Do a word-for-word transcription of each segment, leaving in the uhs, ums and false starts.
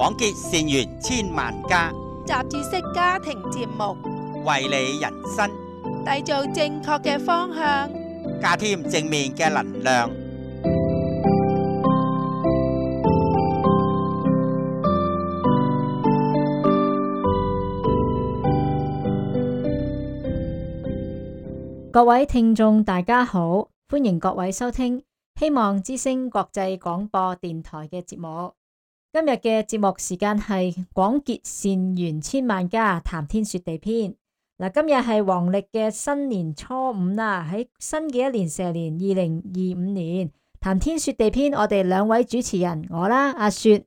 廣結善緣千萬家，雜誌式家庭節目，為你人生締造正確嘅方向，加添正面嘅能量。各位聽眾大家好，歡迎各位收聽希望之聲國際廣播電台嘅節目。今日嘅節目時間係廣結善緣千萬家，談天說地篇。嗱，今日係黃曆嘅新年初五啦，喺新嘅一年蛇年二零二五年，談天說地篇，我哋兩位主持人，我啦阿雪，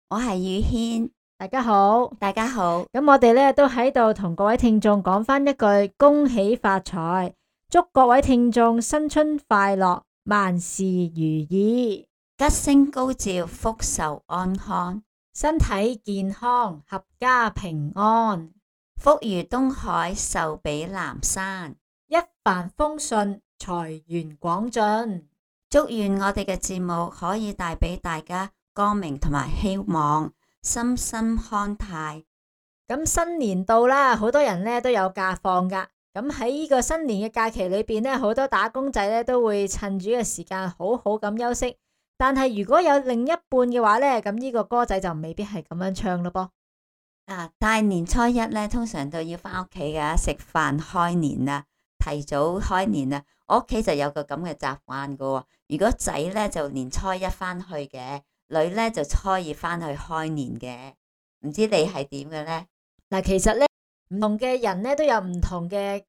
我係宇軒，大家好，大家好。咁我哋咧都喺度同各位聽眾講翻一句恭喜發財，祝各位聽眾新春快樂，萬事如意，吉星高照，福壽安康，身體健康，合家平安，福如東海，壽比南山，一帆風順，財源廣進。祝願我哋嘅節目可以帶俾大家光明同埋希望，身心康泰。咁新年到啦，好多人咧都有假放噶。咁喺呢個新年嘅假期裏邊咧，好多打工仔咧都會趁住嘅時間好好咁休息。但係如果有另一半嘅話咧，咁呢個歌仔就未必係咁樣唱咯噃。啊，大年初一咧，通常都要翻屋企噶，食飯開年啊，提早開年啊。我屋企就有個咁嘅習慣噶。如果仔咧就年初一翻去嘅，女咧就初二翻去開年嘅。唔知你係點嘅咧？嗱，其實咧唔同嘅人咧都有唔同嘅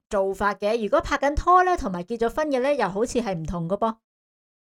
做法嘅。如果拍緊拖咧，同埋結咗婚嘅咧，又好似係唔同噶噃。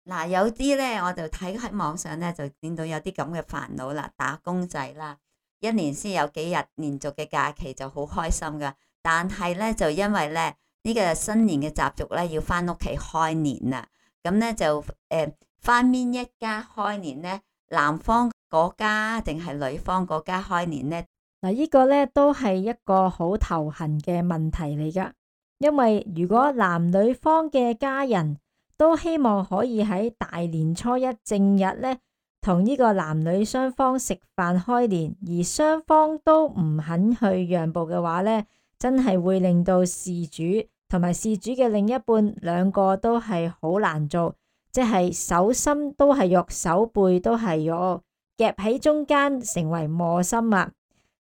嗱，有啲咧我就睇喺網上咧就見到有啲咁嘅煩惱啦，打工仔啦，一年先有幾日連續嘅假期就好開心噶，但係咧就因為咧呢個新年嘅習俗咧要翻屋企開年啦，咁咧就誒翻邊一家開年咧，男方嗰家定係女方嗰家開年咧？嗱，呢個咧都係一個好頭痕嘅問題嚟噶，因為如果男女方嘅家人都希望可以喺大年初一正日咧，同呢個男女雙方食飯開年，而雙方都唔肯去讓步嘅話咧，真係會令到事主同埋事主嘅另一半兩個都係好難做，即係手心都係肉，手背都係肉，夾喺中間成為磨心啊！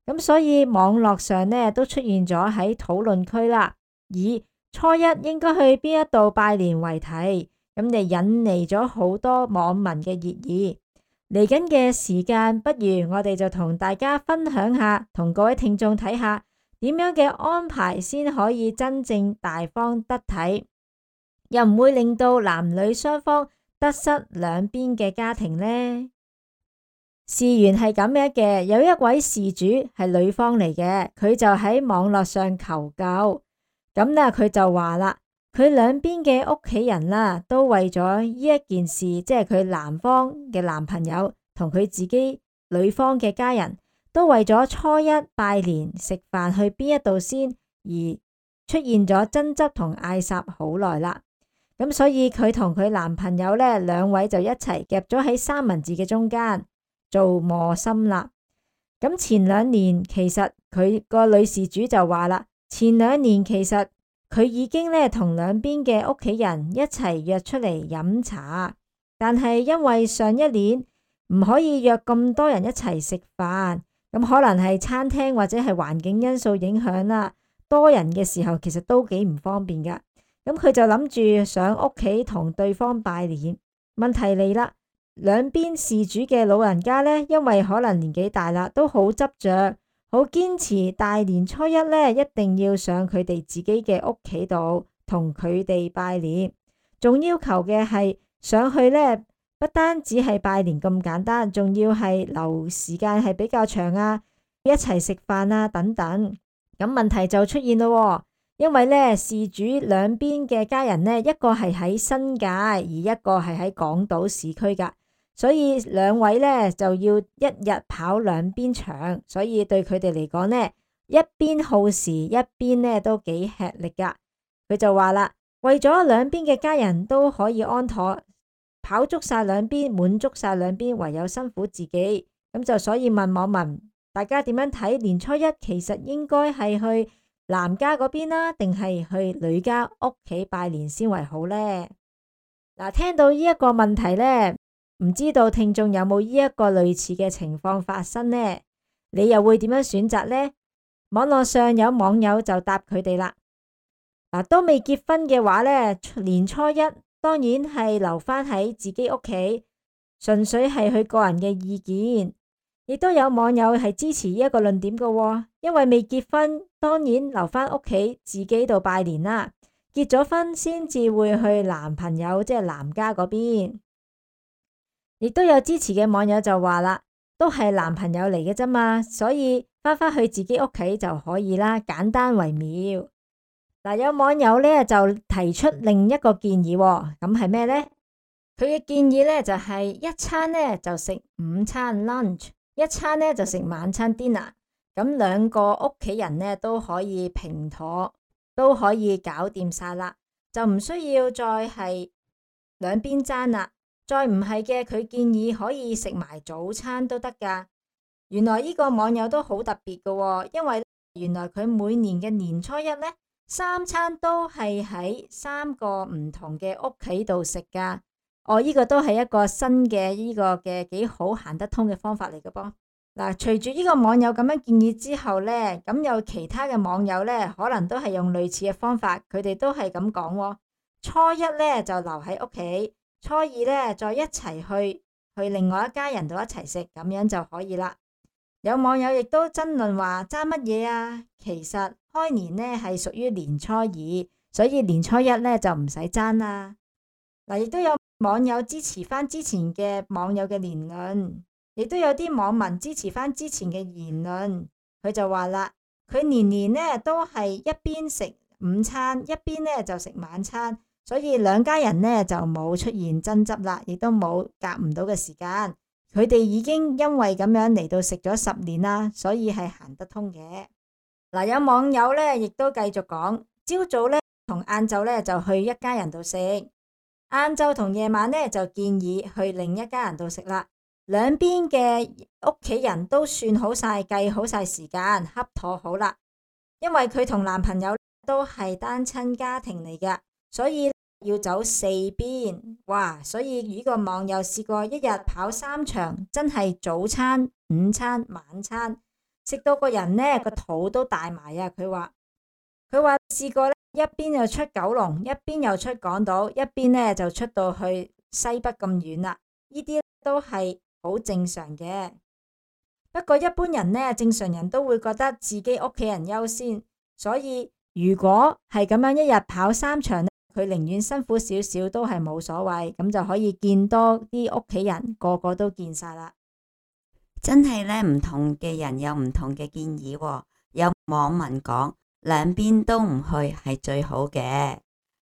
咁所以網絡上咧都出現咗喺討論區啦，以初一應該去邊一度拜年為題，咁就引嚟咗好多網民嘅熱議。嚟緊嘅時間，不如我哋就同大家分享下，同各位聽眾睇下點樣嘅安排先可以真正大方得體，又唔會令到男女雙方得失兩邊嘅家庭呢？事緣係咁樣嘅，有一位事主係女方嚟嘅，佢就喺網絡上求救。咁咧，佢就話啦，佢兩邊嘅屋企人啦，都為咗呢一件事，即係佢男方嘅男朋友同佢自己女方嘅家人都為咗初一拜年食飯去邊一度先，而出現咗爭執同嗌霎好耐啦。咁所以佢同佢男朋友咧，兩位就一齊夾咗喺三文治嘅中間做磨心啦。咁前兩年其實佢個女事主就話啦，前兩年其實佢已經咧同兩邊嘅屋企人一齊約出嚟飲茶，但係因為上一年唔可以約咁多人一齊食飯，咁可能係餐廳或者係環境因素影響啦，多人嘅時候其實都幾唔方便噶。咁佢就諗住上屋企同對方拜年，問題嚟啦，兩邊事主嘅老人家咧，因為可能年紀大啦，都好執着。好堅持大年初一咧，一定要上佢哋自己嘅屋企度同佢哋拜年，仲要求嘅係上去咧，不單止係拜年咁簡單，仲要係留時間係比較長啊，一齊食飯啊等等。咁問題就出現咯，因為咧事主兩邊嘅家人咧，一個係喺新界，而一個係喺港島市區噶。所以兩位咧就要一日跑兩邊場，所以對佢哋嚟講咧，一邊耗時，一邊咧都幾吃力噶。佢就話啦，為咗兩邊嘅家人都可以安妥，跑足晒兩邊，滿足晒兩邊，唯有辛苦自己，咁就所以問網民，大家點樣睇年初一其實應該係去男家嗰邊啦，定係去女家屋企拜年先為好呢？嗱，聽到呢一個問題呢，唔知道聽眾有冇呢一個類似嘅情況發生呢？你又會點樣選擇呢？網絡上有網友就答佢哋啦。嗱，都未結婚嘅話呢，年初一當然係留返喺自己屋企，純粹係佢個人嘅意見。亦都有網友係支持呢一個論點嘅喎，因為未結婚，當然留返屋企自己度拜年啦。結咗婚先至會去男朋友即係男家嗰邊。亦都有支持嘅網友就話啦，都係男朋友嚟嘅啫嘛，所以返返去自己屋企就可以啦，簡單為妙。嗱，有網友呢就提出另一個建議喎，咁係咩呢？佢嘅建議呢就係一餐呢就食午餐 lunch，一餐呢就食晚餐 dinner，咁兩個屋企人呢都可以平妥，都可以搞掂晒啦，就唔需要再係兩邊爭啦。再唔係嘅，佢建議可以食埋早餐都得噶。原來呢個網友都好特別噶喎，因為原來佢每年嘅年初一呢，三餐都係喺三個唔同嘅屋企度食噶。哦，呢個都係一個新嘅呢個嘅幾好行得通嘅方法嚟嘅噃。嗱，隨住呢個網友咁樣建議之後呢，咁有其他嘅網友呢，可能都係用類似嘅方法，佢哋都係咁講喎。初一呢就留喺屋企，初二呢再一齊去去另外一家人度一齊食，咁樣就可以啦。有網友亦都爭論話爭乜嘢啊？其實開年呢係屬於年初二，所以年初一呢就唔使爭啦。嗱，亦都有網友支持翻之前嘅網友嘅言論，亦都有啲網民支持翻之前嘅言論。佢就話啦，佢年年呢都係一邊食午餐，一邊呢就食晚餐，所以兩家人呢就冇出現爭執啦，亦都冇夾唔到嘅時間。佢哋已經因為咁樣嚟到食咗十年啦，所以係行得通嘅。嗱，有網友呢亦都繼續講，朝早呢同晏晝呢就去一家人度食。晏晝同夜晚呢，就建議去另一家人度食啦。兩邊嘅屋企人都算好晒，計好晒時間，恰妥好啦。因為佢同男朋友都係單親家庭嚟㗎，所以要走四邊。哇！所以呢個網友試過一日跑三場，真係早餐、午餐、晚餐，食到個人呢個肚都大埋啊！佢話佢話試過呢。一邊又出九龍，一邊又出港島，一邊呢就出到去西北咁遠啦。呢啲都係好正常嘅。不過一般人呢，正常人都會覺得自己屋企人優先，所以如果係咁樣一日跑三場，佢寧願辛苦少少都係冇所謂，咁就可以見多啲屋企人，個個都見晒啦。真係呢，唔同嘅人有唔同嘅建議喎。有網民講，兩邊都唔去係最好嘅。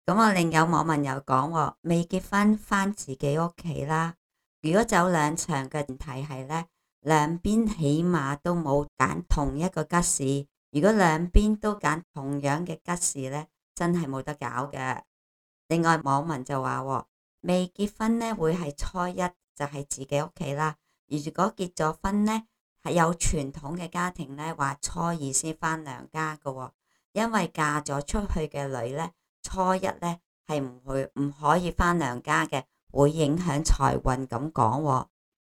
咁我另有網民又講，未結婚返自己屋企啦。如果走兩場嘅前提係呢，兩邊起碼都冇揀同一個吉時。如果兩邊都揀同樣嘅吉時呢，真係冇得搞嘅。另外網民就話，未結婚呢會係初一就係自己屋企啦。而如果結咗婚呢，係有傳統嘅家庭呢，話初二先返娘家嘅。因為嫁咗出去嘅女呢，初一呢係唔會唔可以返娘家嘅，會影響財運咁講。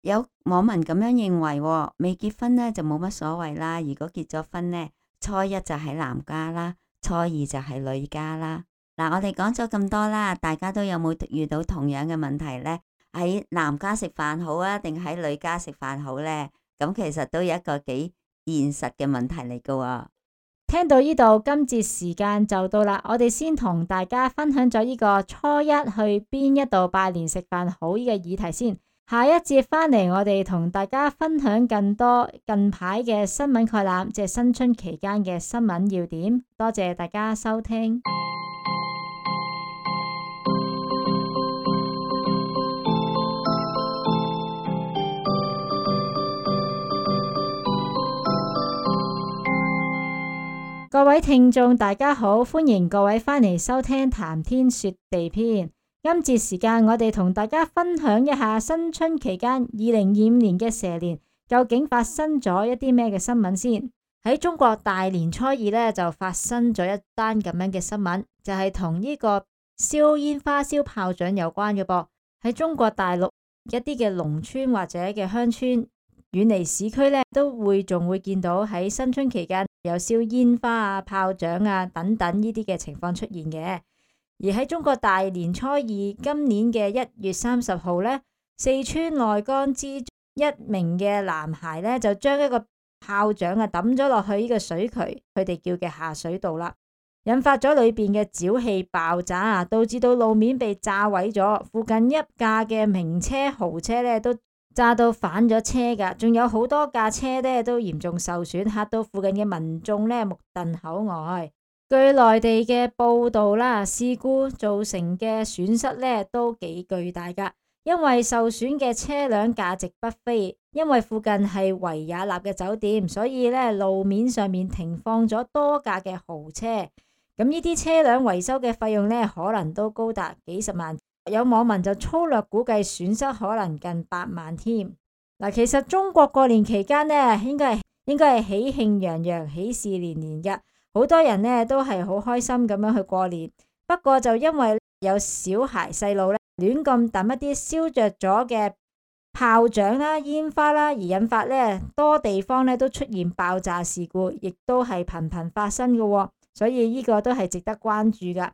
有網民咁樣認為，未結婚呢就冇乜所謂啦。如果結咗婚呢，初一就喺男家啦，初二就係女家啦。嗱，我哋講咗咁多啦，大家都有冇遇到同樣嘅問題呢？喺男家食飯好啊，定喺女家食飯好呢？咁其實都有一個幾現實嘅問題嚟噶。聽到呢度，今節時間就到啦。我哋先同大家分享咗呢個初一去邊一度拜年食飯好呢個議題先。下一節返嚟，我哋同大家分享更多近排嘅新聞概覽，即係新春期間嘅新聞要點。多謝大家收聽。各位聽眾大家好，歡迎各位返嚟收聽談天說地篇。今節時間我哋同大家分享一下新春期間二零二五年嘅蛇年，究究竟發生咗一啲咩嘅新聞先？喺中國大年初二呢，就發生咗一單咁樣嘅新聞，就係同呢個燒煙花、燒炮仗有關嘅噃。喺中國大陸一啲嘅農村或者嘅鄉村，遠離市區呢，都會仲會見到喺新春期間有燒煙花啊、炮仗啊等等呢啲嘅情況出現嘅。而喺中國大年初二今年嘅一月三十號呢，四川內江之一名嘅男孩呢，就將一個炮仗啊抌咗落去呢個水渠，佢哋叫嘅下水道啦，引發咗裏邊嘅沼氣爆炸啊，導致到路面被炸毀咗，附近一架嘅名車豪車呢都炸到反咗車噶，仲有好多架車呢都嚴重受損，嚇到附近嘅民眾呢目瞪口呆。據內地嘅報道啦，事故造成嘅損失呢都幾巨大噶。因為受損嘅車輛價值不菲，因為附近係維也納嘅酒店，所以咧路面上面停放咗多架嘅豪車。咁呢啲車輛維修嘅費用咧，可能都高達幾十萬。有網民就粗略估計損失可能近百萬添。嗱，其實中國過年期間呢，應該係應該係喜慶洋洋、喜事連連嘅，好多人呢都係好開心咁樣去過年。不過就因為有小孩細路咧，亂咁抌一啲燒着咗嘅炮仗啦、煙花啦，而引發呢多地方呢都出現爆炸事故，亦都係頻頻發生嘅，所以呢個都係值得關注噶。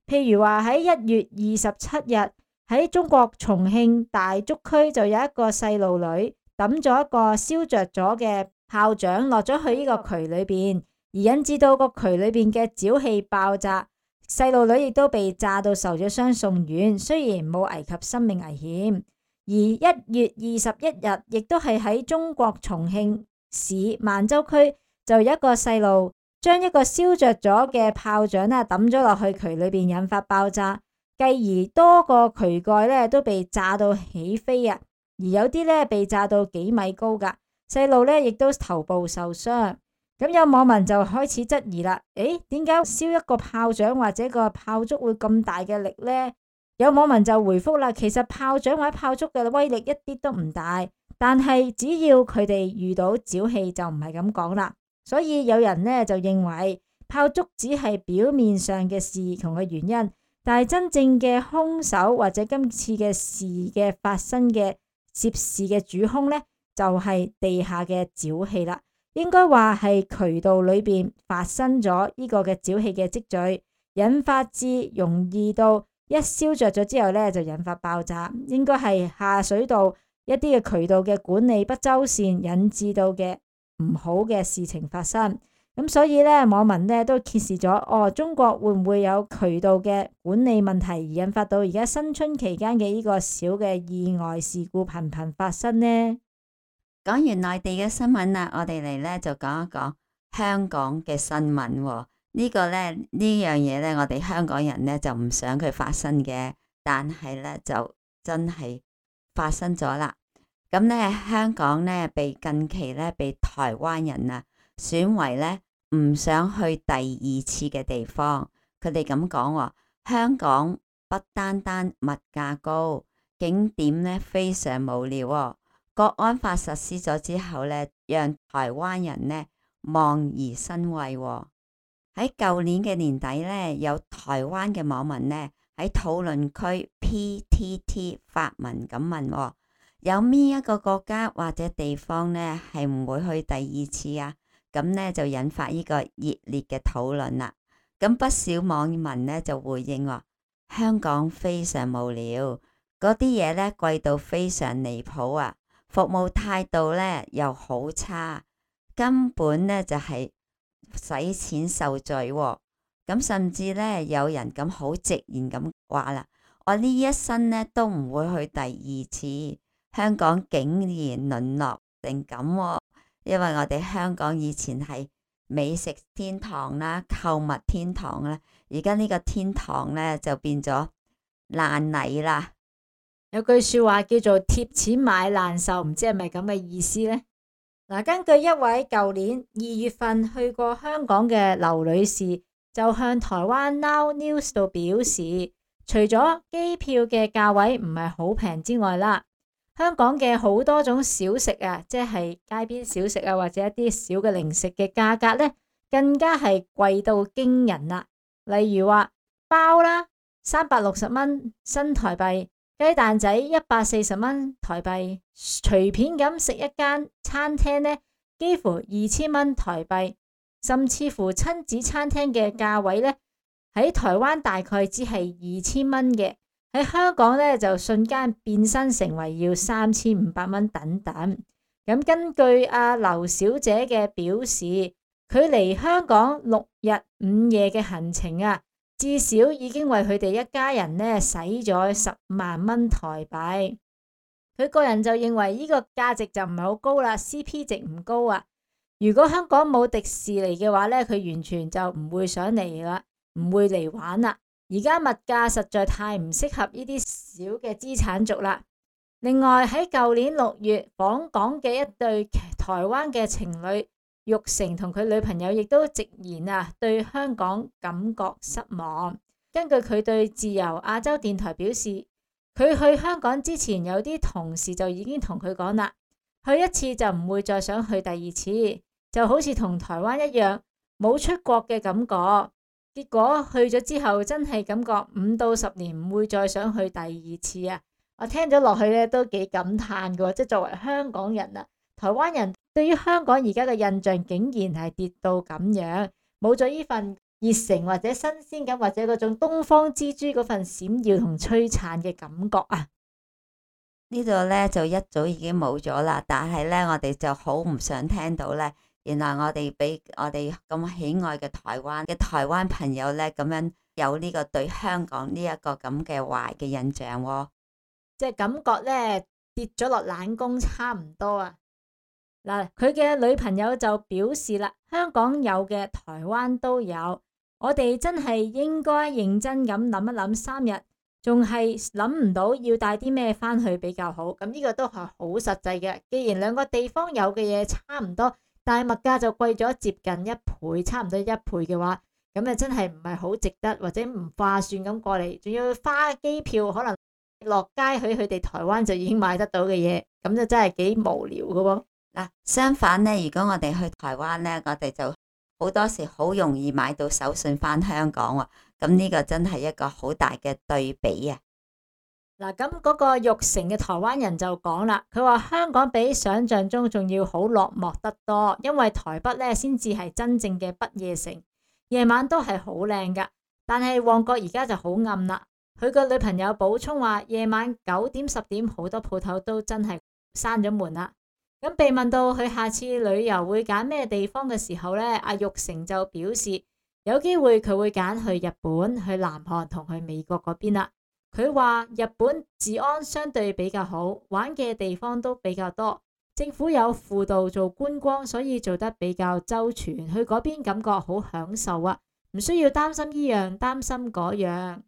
譬如話喺一月二十七日喺中國重慶大足區就有一個細路女抌咗一個燒着咗嘅炮仗落咗去呢個渠裏邊，而引致到個渠裏邊嘅沼氣爆炸。細路女亦都被炸到受咗傷送院，雖然冇危及生命危險。而一月二十一日，亦都係喺中國重慶市萬州區，就有一個細路將一個燒着咗嘅炮仗啊抌咗落去渠裏邊，引發爆炸，繼而多個渠蓋咧都被炸到起飛啊！而有啲咧被炸到幾米高噶，細路咧亦都頭部受傷。咁有網民就開始質疑啦，誒，點解燒一個炮仗或者個炮竹會咁大嘅力呢？有網民就回覆啦，其實炮仗或者炮竹嘅威力一啲都唔大，但係只要佢哋遇到沼氣就唔係咁講啦。所以有人呢就認為炮竹只係表面上嘅事同嘅原因，但係真正嘅兇手或者今次嘅事嘅發生嘅涉事嘅主兇呢，就係地下嘅沼氣啦。應該話係渠道裏邊發生咗呢個嘅沼氣嘅積聚，引發至容易到一燒着咗之後呢，就引發爆炸。應該係下水道一啲嘅渠道嘅管理不周善，引致到嘅唔好嘅事情發生。咁所以呢，網民呢都揭示咗，哦，中國會唔會有渠道嘅管理問題而引發到而家新春期間嘅呢個小嘅意外事故頻頻發生呢？講完內地嘅新聞啦，我哋嚟咧就講一講香港嘅新聞喎。呢個咧呢樣嘢咧，我哋香港人咧就唔想佢發生嘅，但係咧就真係發生咗啦。咁咧香港咧被近期咧被台灣人啊選為咧唔想去第二次嘅地方。佢哋咁講喎，香港不單單物價高，景點咧非常無聊喎。國安法實施咗之後咧，讓台灣人呢望而生畏喎。喺舊年嘅年底咧，有台灣嘅網民呢喺討論區 P T T 發文咁問喎，有邊一個國家或者地方呢係唔會去第二次啊？咁呢就引發呢個熱烈嘅討論啦。咁不少網民呢就回應話，香港非常無聊，嗰啲嘢呢貴到非常離譜啊！服務態度咧又好差，根本咧就係使錢受罪喎。咁甚至咧有人咁好直言咁話啦，我呢一生咧都唔會去第二次。香港竟然淪落成咁喎，因為我哋香港以前係美食天堂啦、購物天堂啦，而家呢個天堂咧就變咗爛泥啦。有句說話叫做貼錢買難受，唔知係咪咁嘅意思呢？嗱，根據一位舊年二月份去過香港嘅劉女士，就向台灣 Now News 度表示，除咗機票嘅價位唔係好平之外啦，香港嘅好多種小食啊，即係街邊小食啊，或者一啲小嘅零食嘅價格呢，更加係貴到驚人啦。例如話包啦，三百六十蚊新台幣，雞蛋仔一百四十蚊台幣，隨便咁食一間餐廳呢，幾乎二千蚊台幣，甚至乎親子餐廳嘅價位呢，喺台灣大概只係二千蚊嘅，喺香港呢就瞬間變身成為要三千五百蚊等等。咁根據阿劉小姐嘅表示，佢嚟香港六日五夜嘅行程啊，至少已經為佢哋一家人呢使咗十萬蚊台幣。佢個人就認為呢個價值就唔係好高啦 ，C P 值唔高啊。如果香港冇迪士尼嘅話呢，佢完全就唔會想嚟啦，唔會嚟玩啦。而家物價實在太唔適合呢啲小嘅資產族啦。另外喺舊年六月訪港嘅一對台灣嘅情侶，玉成同佢女朋友亦都直言啊，對香港感覺失望。根據佢對自由亞洲電台表示，佢去香港之前有啲同事就已經同佢講啦，去一次就唔會再想去第二次，就好似同台灣一樣冇出國嘅感覺。結果去咗之後真係感覺五到十年唔會再想去第二次啊！我聽咗落去咧都幾感嘆嘅，即係作為香港人啊，台灣人對於香港而家嘅印象竟然係跌到咁樣，冇咗呢份熱誠或者新鮮感或者嗰種東方之珠嗰份閃耀同璀璨嘅感覺啊！呢度咧就一早已經冇咗啦，但係咧我哋就好唔想聽到咧，原來我哋俾我哋咁喜愛嘅台灣嘅台灣朋友咧咁樣有呢個對香港呢一個咁嘅壞嘅印象喎、哦，即係感覺咧跌咗落冷宮差唔多啊！嗱，佢嘅女朋友就表示啦，香港有嘅台灣都有，我哋真係應該認真咁諗一諗三日，仲係諗唔到要帶啲咩翻去比較好。咁呢個都係好實際嘅。既然兩個地方有嘅嘢差唔多，但係物價就貴咗接近一倍，差唔多一倍嘅話，咁啊真係唔係好值得或者唔划算咁過嚟，仲要花機票，可能落街去佢哋台灣就已經買得到嘅嘢，咁就真係幾無聊嘅喎。嗱，相反呢，如果我哋去台灣呢，我哋就好多時好容易買到手信翻香港喎。咁呢個真係一個好大嘅對比啊！嗱，咁嗰個玉成嘅台灣人就講啦，佢話香港比想象中仲要好落寞得多，因為台北呢先至係真正嘅不夜城，夜晚都係好靚噶，但係旺角而家就好暗啦。佢個女朋友補充話，夜晚九點十點好多鋪頭都真係閂咗門啦。咁被問到佢下次旅遊會揀咩地方嘅時候呢，阿玉成就表示有機會佢會揀去日本、去南韓同去美國嗰邊啦。佢話日本治安相對比較好，玩嘅地方都比較多，政府有輔導做觀光，所以做得比較周全。去嗰邊感覺好享受啊，唔需要擔心呢樣擔心嗰樣。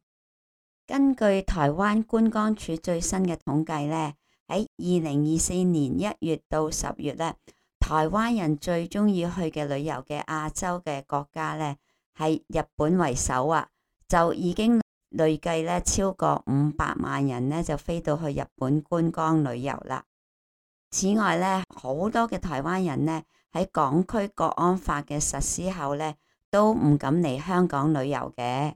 根據台灣觀光署最新嘅統計呢，喺二零二四年一月到十月呢，台灣人最中意去嘅旅遊嘅亞洲嘅國家呢，係日本為首啊，就已經累計咧超過五百萬人呢就飛到去日本觀光旅遊啦。此外呢，好多嘅台灣人呢喺港區國安法嘅實施後呢，都唔敢嚟香港旅遊嘅。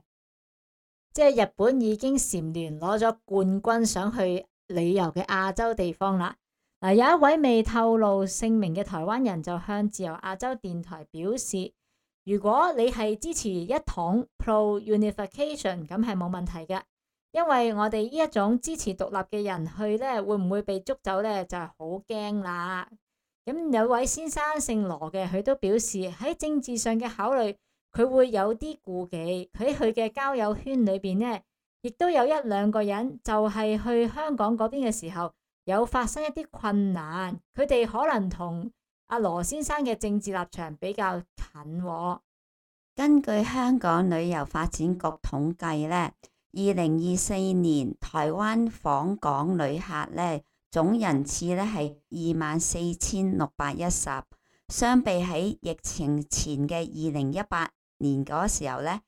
即係日本已經蟬聯攞咗冠軍，想去旅遊嘅亞洲地方啦。嗱，有一位未透露姓名嘅台灣人就向自由亞洲電台表示，如果你係支持一統 pro unification， 咁係冇問題嘅，因為我哋呢一種支持獨立嘅人去呢，會唔會被捉走呢？就係好驚啦。咁有位先生姓羅嘅，佢都表示喺政治上嘅考慮，佢會有啲顧忌。喺佢嘅交友圈裏邊呢，亦都有一兩個人就係去香港嗰邊嘅時候有發生一啲困難，佢哋可能同阿羅先生嘅政治立場比較近喎。根據香港旅遊發展局統計呢，二零二四年台灣訪港旅客呢總人次呢係二萬四千六百一十，相比喺疫情前嘅二零一八年嗰時候呢，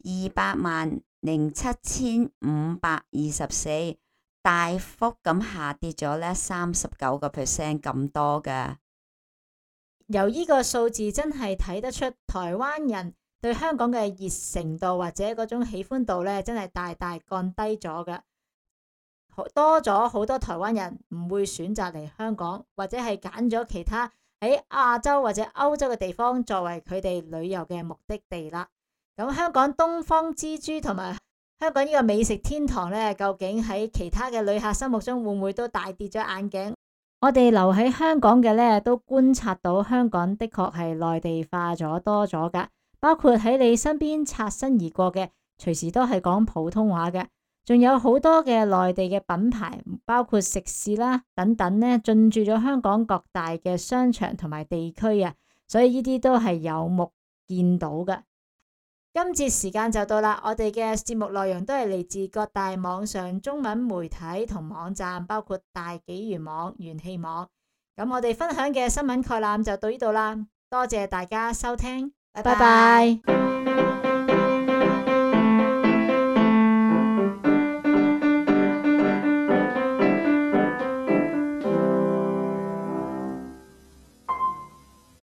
二百萬零七千五百二十四，大幅咁下跌咗呢三十九個 percent 咁多㗎。由呢個數字真係睇得出台灣人對香港嘅熱誠度或者嗰種喜歡度呢，真係大大降低咗㗎。多咗好多台灣人唔會選擇嚟香港，或者係揀咗其他喺亞洲或者歐洲嘅地方作為佢哋旅遊嘅目的地啦。咁香港東方之珠同埋香港呢個美食天堂呢，究竟喺其他嘅旅客心目中會唔會都大跌咗眼鏡？我哋留喺香港嘅呢，都觀察到香港的確係內地化咗多咗㗎，包括喺你身邊擦身而過嘅，隨時都係講普通話嘅。仲有好多嘅內地嘅品牌，包括食肆啦等等呢，進駐咗香港各大嘅商場同埋地區啊，所以呢啲都係有目見到嘅。今節時間就到啦，我哋嘅節目內容都係嚟自各大網上中文媒體同網站，包括大紀元網、元氣網。咁我哋分享嘅新聞概覽就到呢度啦，多謝大家收聽，拜拜。拜拜。